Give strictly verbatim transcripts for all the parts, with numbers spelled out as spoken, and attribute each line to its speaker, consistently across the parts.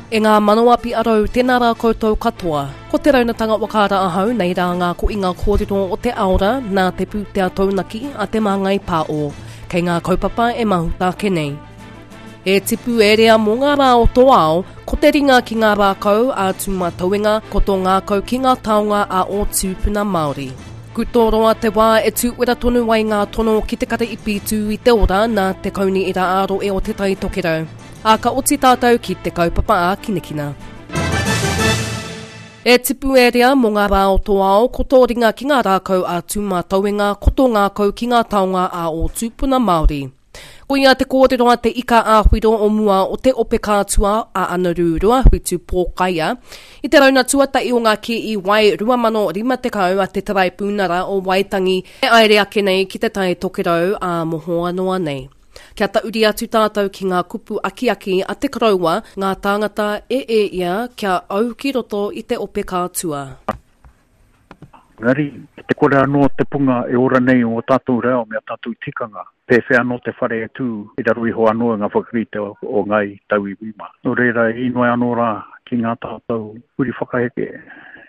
Speaker 1: E ngā manawa piarau, tēnā rā koutou katoa. Ko te raunatanga wakaara ahau, nei rā ngā koinga kōrero o te aora nā te pūtea taunaki a Te Māngai Pāo. Kei ngā kaupapa e mahuta ake nei. E tipu e rea mō ngā rā o tō ao, ko te ringa ki ngā rākau a Tūmatauenga, ko tō ngākau ki ngā taonga a ō tūpuna Māori. Kutoroa te wā e tūwera tonu ai ngā tono ki te karaipi tū i te ora nā te kaunihera ā-rohe o Te Tai Tokerau. Ā, ka oti tātou ki te kaupapa ākinakina. E tipu e rea mō ngā rā o tō ao, ko tō ringa ki ngā rākau a Tūmatauenga, ko tō ngākau ki ngā taonga a ō tūpuna Māori. Koia te kōrero a te ika ā-whiro o mua o te ope kātua a Anaru Ruawhitu Pōkaia i te rauna tuatahi o ngā K E Y rua mano rima tekau a te Taraipunara o Waitangi e aere ake nei ki Te Tai Tokerau ā mohoa noa nei. Kia tauri atu tātou ki ngā kupu akiaki a te koroua, ngā tāngata e e ia kia au ki roto i te ope kātua.
Speaker 2: Engari, ki te kore anō te punga e ora nei o tātou reo me a tātou tikanga, pēwhea anō te whare e tū i raro iho anō i ngā whakarite o, o Ngāi Tauiwi mā. Nō reira, e inoi anō rā ki ngā tātou uri whakaheke,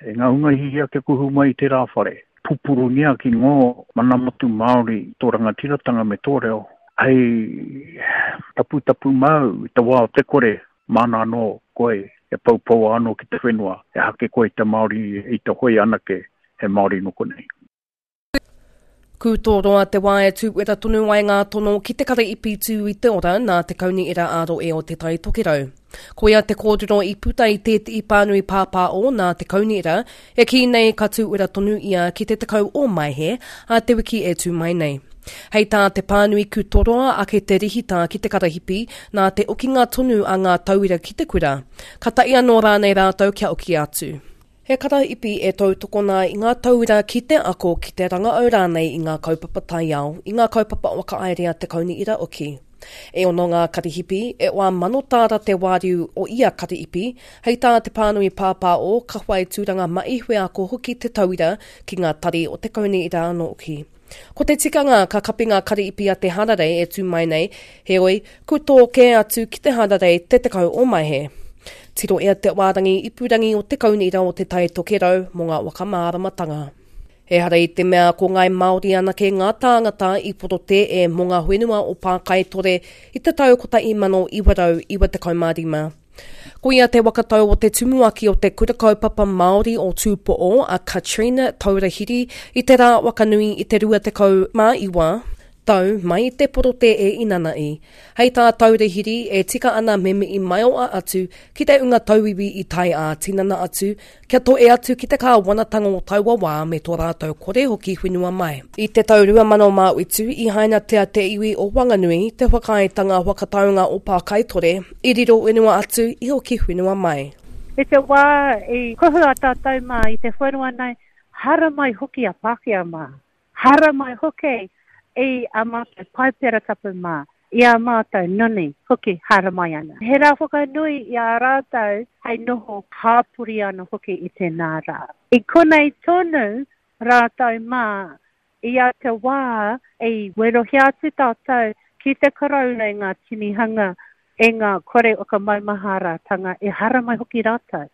Speaker 2: e ngā hunga hihia kia kuhu mai i tērā whare, pupurungia ki ngō mana motu Māori, tō rangatiratanga me tō reo, hei taputapu māu i te wā o te kore, māna anō koe e poupoua anō ki te whenua, e hake koe i te Māori i te hoi anake, he Māori nō konei.
Speaker 1: Kūtoroa te wā e tūwera tonu ai ngā tono ki te karaipi tū i te ora nā te kaunihera ā-rohe o Te Tai Tokerau. Koia te kōrero i puta i tētehi pānui pāpāo nā te kaunihera e kī nei ka tūwera tonu ia ki te tekau o Maehe a te wiki e tū mai nei. Hei tā te pānui kūtoroa ake te rihita ki te karahipi nā te okinga tonu a ngā tauira ki te kura. Ka tae anō rānei rātou kia oki atu. He karaipi e tautokona i ngā tauira ki te ako ki te rangaau rānei i ngā kaupapa taiao, i ngā kaupapa whakahaere a te kaunihera oki. E ono ngā karihipi, e oa mano tāra te wāriu o ia karihipi, hei tā te pānui pāpāo ka whai tūranga mahi wheako hoki te tauira ki ngā tari o te kaunihera anō hoki. Ko te tikanga ka kapi ngā karihipi a te hararei e tū mai nei, heoi, kutō kē atu ki te hararei te tekau o Maehe. Tiro ea te wārangi ipurangi o te kaunihera o Te Tai Tokerau mō ngā whakamāramatanga. Ehara i te mea ko Ngāi Māori anake ngā tāngata i porotē e mō ngā whenua o Pākaitore i te tau kotahi mano iwa rau iwa tekau mā rima. Koia te wakatau o te tumuaki o te kura kaupapa Māori o Tūpo'o a Katrina Taurahiri i te rā wakanui i te rua tekau mā iwa tau mai i te porotē e inana'i. Hei tā Taurahiri e tika ana me mihi maioa atu ki te unga tauiwi i tae ā-tinana atu, kia toe atu ki te kāwanatanga o taua wā me tō rātou kore hoki whenua mai. I te tau rua mano mā whitu i hainatea te iwi o Wanganui te whakaaetanga whakataunga o Pākaitore i riro whenua atu i hoki whenua mai.
Speaker 3: I te wā i kuhu a tātou mā i te whenua nei, haramai hoki a Pākehā mā. Haramai hoki i a mātou paipera tapu mā, i a mātou noni hoki haramai ana. He rā whakanui i a rātou hei noho hāpori ana hoki i tēnā rā. I konei tonu rātou mā i a te wā i werohia atu tātou ki te Karauna i ngā tinihanga e ngā kore whakamaumaharatanga e haramai hoki rātou.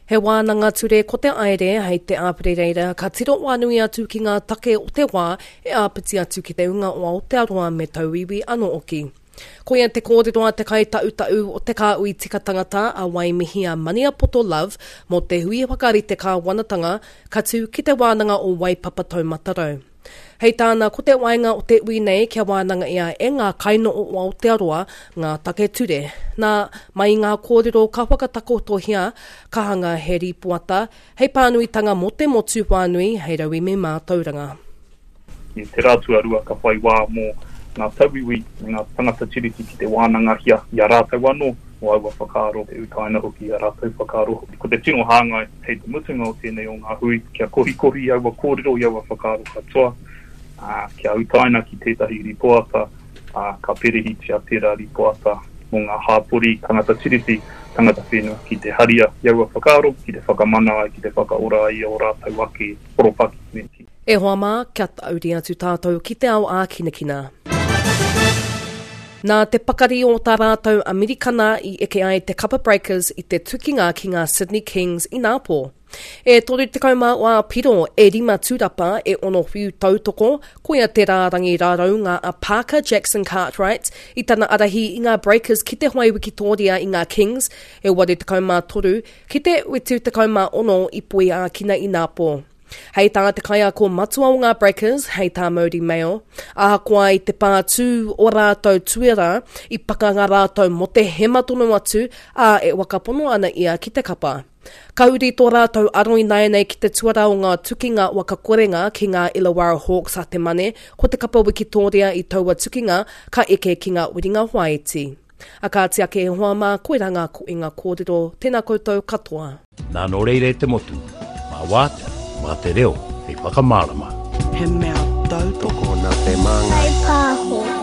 Speaker 1: He wānanga ture ko te aere hei te Āperereira ka tiro wānui atu ki ngā take o te wā e āpiti atu ki te unga o Aotearoa me tauiwi anō hoki. Koia te kōrero a te kaitautau o te kāhui tika tangata a Waimihia Maniapoto Love mō te hui whakarite kāwanatanga ka tū ki te wānanga o Waipapa Taumatarau. Hei tāna ko te waenga o te ui nei kia wānanga ia e ngā kaino o Aotearoa ngā take ture. Nā, mai i ngā kōrero ka whakatakotohia, ka hanga he rīpoata, hei pānuitanga mō te motu whānui hei rauemi mātauranga.
Speaker 4: I te rā tuarua ka whai wā mō ngā tauiwi me ngā tangata tiriti ki te wānangahia i a rātou anō o aua whakaaro, te utaina hoki i a rātou whakaaro hoki. Ko te tino hāngai hei te mutunga o tēnei o ngā hui, kia kohikohi i aua kōrero, i aua whakaaro katoa, ā, kia utaina ki tētahi rīpoata, ā, ka perehitia tērā rīpoata mō ngā hāpori, tangata tiriti, tangata whenua ki te haria i aua whakaaro, ki te whakamana ai, ki te whakaora ai i ō rātou ake horopaki me kī.
Speaker 1: E hoa mā, kia tauri atu tātou ki te ao ākinakina. Nā te pakari o tā rātou Amerikana i eke ai te kapa Breakers i te tukinga ki ngā Sydney Kings inapō. E toru tekau mā wā piro, e rima tūrapa, e ono whiu tautoko, koia te rārangi raraunga a Parker Jackson Cartwright i tana arahi i ngā Breakers ki te whai wikitōria i ngā Kings, e waru tekau mā toru, ki te whitu tekau mā ono i Poiākina inapō. Hei tā te kaiako matua o ngā Breakers, hei tā Mody Mail, ahakoa i te pātū o rātou tuera, i pakanga rātou mō te hema tonu atu, ā, e whakapono ana ia ki te kapa. Ka huri tō rātou aro ināianei ki te tuara o ngā tukinga waka korenga ki ngā Illawarra Hawks a te Mane, ko te kapa wikitōria i taua tukinga ka eke ki ngā whiringa whāiti. A kāti ake e hoa mā, koirā ngā koinga kōrero, tēnā koutou katoa.
Speaker 5: Nā nō reira e te motu, mā wātea, mā te reo, hei whakamārama.
Speaker 6: He mea tautoko
Speaker 7: nā te māngai.
Speaker 8: Pāho.